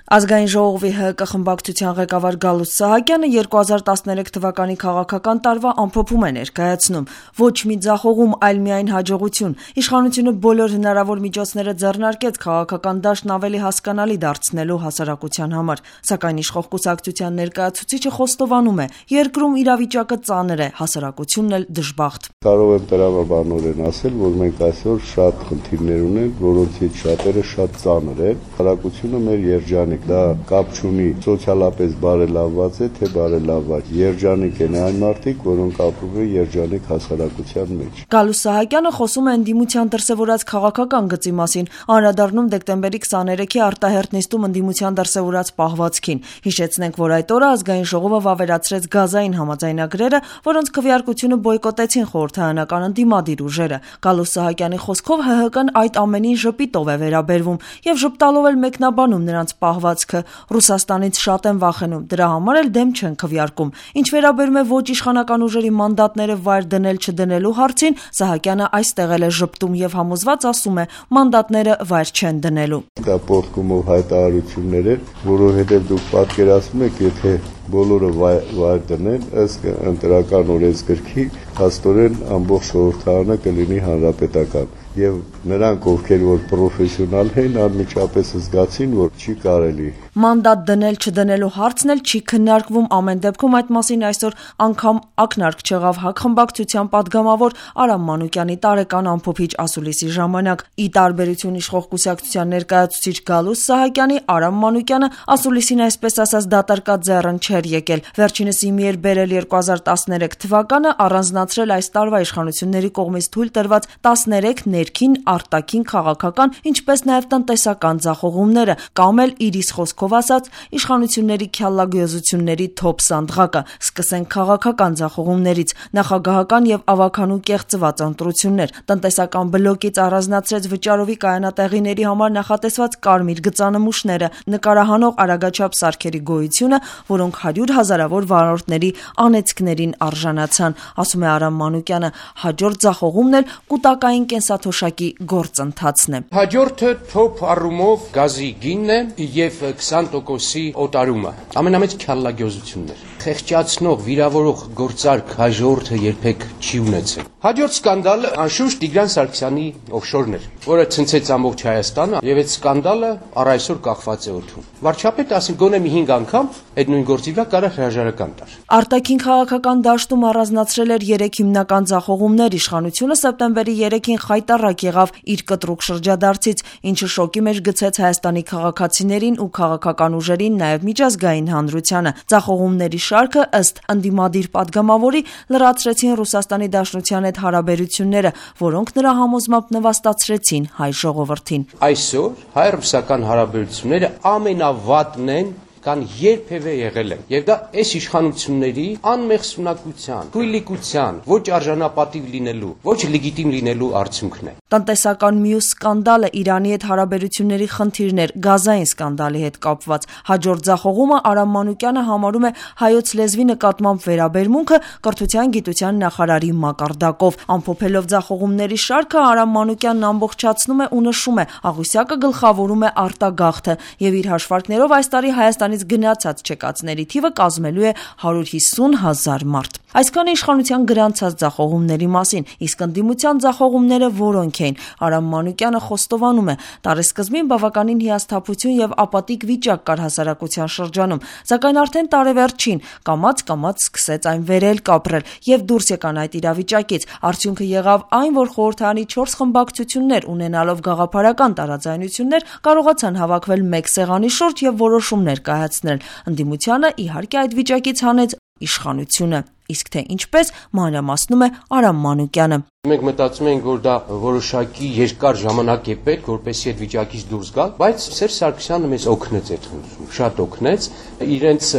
Ազգային ժողովի ՀԿ խմբակցության ղեկավար Գալուստ Սահակյանը 2013 թվականի քաղաքական տարվա ամփոփում է ներկայացնում։ Ոչ մի ձախողում, այլ միայն հաջողություն։ Իշխանությունը բոլոր հնարավոր միջոցները ձեռնարկեց քաղաքական դաշտն ավելի հասկանալի դարձնելու հասարակության համար։ Սակայն իշխող կուսակցության ներկայացուցիչը խոստովանում է, երկրում իրավիճակը ծանր է, հասարակությունն էլ դժբախտ։ Կարող եմ տրամաբանորեն ասել, որ մենք այսօր շատ խնդիրներ ունենք, որոնցից շատերը շատ ծանր են։ Հասարակությունը մեր երջանիկ, դա կապ չունի սոցիալապես բարելավված է, թե բարելավված։ Երջանիկ են այն մարդիկ, որոնք ապրում են երջանիկ հասարակության մեջ։ Գալուստ Սահակյանը խոսում է ընդդիմության դրսևորած քաղաքական գծի մասին, անդրադառնում դեկտեմբերի 23-ի արտահերթ նիստում ընդդիմության դրսևորած պահվածքին։ Հիշեցնենք, որ այդ օրը ազգային ժողովը վավերացրեց գազային համաձայնագրերը, որոնց քվեարկությունը բոյկոտեցին խորհրդարանական ընդդիմադիր ուժերը։ Գալուստ Սահակյանի խոսքով ՀՀԿ-ն այդ ամենին ժպիտով է վերաբերվում եւ ժպտալով էլ մեկնաբանում նրանց պահվածքը։ Ռուսաստանից շատ են վախենում, դրա համար էլ դեմ չեն քվեարկում։ Ինչ վերաբերում է ոչ իշխանական ուժերի մանդատները վայր դնել-չդնելու հարցին, Սահակյանը այստեղ էլ է ժպտում եւ համոզված ասում է, մանդատները վայր չեն դնելու։ Դա պոռթկումով հայտարարություններ են, որովհետեւ դուք պատկերացնում եք, եթե բոլորը վայր դնեն, ըստ ընտրական օրենսգրքի, հաստորեն ամբողջ խորհրդարանը կլինի հանրապետական։ Եվ նրանք, ովքեր որ պրոֆեսիոնալ են, անմիջապես զգացին, որ չի կարելի։ Մանդատ դնել-չդնելու հարցն էլ չի քննարկվում, ամեն դեպքում այդ մասին այսօր անգամ ակնարկ չեղավ ՀԱԿ խմբակցության падգամավոր Արամ Մանուկյանի տարեկան ամփոփիչ ասուլիսի ժամանակ։ Ի տարբերություն իշխող կուսակցության ներկայացուցիչ Գալուստ Սահակյանի, Արամ Մանուկյանը ասուլիսին այսպես ասած դատարկած ձեռն չէր եկել։ Վերջինս իմի էր բերել 2013 թվականը, առանձնացրել այս տարվա իշխանությունների կողմից թույլ տրված 13 ներքին, արտաքին, քաղաքական, ինչպես նաև տնտեսական ձախողումները, կամ էլ իր իսկ խոսքով ասած իշխանությունների քյալագյոզությունների թոփ սանդղակը։ Սկսենք քաղաքական ձախողումներից։ Նախագահական եւ ավագանու կեղծված ընտրություններ, տնտեսական բլոկից առանձնացրեց վճարովի կայանատեղիների համար նախատեսված կարմիր գծանմուշները, նկարահանող արագաչափ սարքերի գոյությունը, որոնք 100 հազարավոր վարորդների անեծքներին արժանացան, ասում է Արամ Մանուկյանը։ Հաջորդ ձախողումն էլ կուտակային կենսաթոշակի գործընթացն է։ Հաջորդը թոփ առումով գազի գինն է եւ 20%-ի օտարումը։ Ամենամեծ քյալագյոզությունն էր։ Խեղճացնող, վիրավորող գործարք հաջորդը երբեք չի ունեցել։ Հաջորդ սկանդալը անշուշտ Տիգրան Սարգսյանի օֆշորն էր, որը ցնցեց ամբողջ Հայաստանը, եւ այդ սկանդալը առ այսօր կախված է օդում։ Վարչապետը ասին գոնե մի 5 անգամ այդ նույն գործի վրա կարա հրաժարական տար։ Արտաքին քաղաքական դաշտում առանձնացրել էր 3 հիմնական ձախողումներ։ Իշխանությունը սեպտեմբերի 3-ին խայտառակ եղավ իր կտրուկ շրջադարձից, ինչը շոկի մեջ գցեց Հայաստանի քաղաքացիներին ու քաղաքական ուժերին, նաև միջազգային հանրությանը։ Ձախողումների շարքը ըստ ընդդիմադիր падգամավորի լրացրեցին Ռուսաստանի Դաշնության հետ հարաբերությունները, որոնք նրա համոզմամբ նվաստացրեցին հայ ժողովրդին։ Այսօր հայ-ռուսական հարաբերությունները ամենավատն են կան երբևէ եղել են։ Եվ դա այս իշխանությունների անմեղսունակության, թույլիկության, ոչ արժանապատիվ լինելու, ոչ լեգիտիմ լինելու արդյունքն է։ Տնտեսական մյուս սկանդալը Իրանի հետ հարաբերությունների խնդիրն էր, գազային սկանդալի հետ կապված։ Հաջորդ ձախողումը Արամ Մանուկյանը համարում է հայոց լեզվի նկատմամբ վերաբերմունքը կրթության գիտության նախարարի մակարդակով։ Ամփոփելով ձախողումների շարքը, Արամ Մանուկյանն ամբողջացնում է ու նշում է, Աղյուսակը գլխավորում է արտագաղթը եւ իր հաշվարկներով այս տարի Հայաստանից գնացած չեկածների թիվը կազմելու է 150,000 մարդ։ Այսքանը իշխանության գրանցած ձախողումների մասին, իսկ ընդդիմության ձախողումները որոնք էին։ Արամ Մանուկյանը խոստովանում է, տարեսկզբին բավականին հիասթափություն եւ ապատիկ վիճակ կար հասարակության շրջանում, սակայն արդեն տարեվերջին կամաց-կամաց սկսեց այն վերել կապրել եւ դուրս եկան այդ իրավիճակից։ Արդյունքը եղավ այն, որ խորհրդարանի 4 խմբակցություններ ունենալով գաղափարական տարաձայնություններ կարողացան հավաքվել մեկ սեղանի շուրջ եւ որոշումներ կայացնել։ Ընդդիմությանը իհարկե այդ վիճակից հանեց իշխանությունը։ Իսկ թե ինչպես, մանրամասնում է Արամ Մանուկյանը։ Մենք մտածում ենք, որ դա որոշակի երկար ժամանակ է պետք, որպեսզի այդ վիճակից դուրս գալ, բայց Սերժ Սարգսյանը մեզ օգնեց այդ խնդրում, շատ օգնեց, իրենց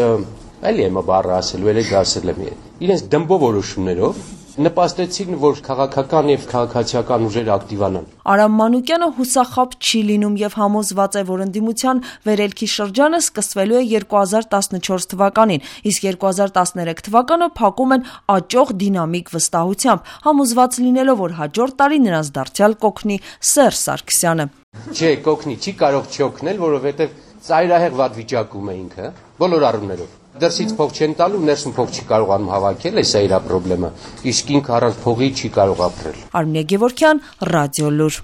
էլի եմ բառը ասելու, էլի դասել եմ, իրենց դմբո որոշումներով նպաստեցին, որ քաղաքական եւ քաղաքացիական ուժերը ակտիվանան։ Արամ Մանուկյանը հուսախաբ չի լինում եւ համոզված է, որ ընդդիմության վերելքի շրջանը սկսվելու է 2014 թվականին, իսկ 2013 թվականը փակում են աճող դինամիկ վստահությամբ, համոզված լինելով, որ հաջորդ տարի նրանց դարձյալ կօգնի Սերժ Սարգսյանը։ Չէ, կօգնի, չի կարող չօգնել, որովհետեւ ծայրահեղ վատ վիճակում է ինքը, բոլոր առումներով։ Դրսից փող չեն տալու, ներսում փող չի կարողանում հավաքել, էսա իր խնդրեմը։ Իսկ ինքը առանց փողի չի կարող ապրել։ Արմինե Գևորգյան, Ռադիոլուր։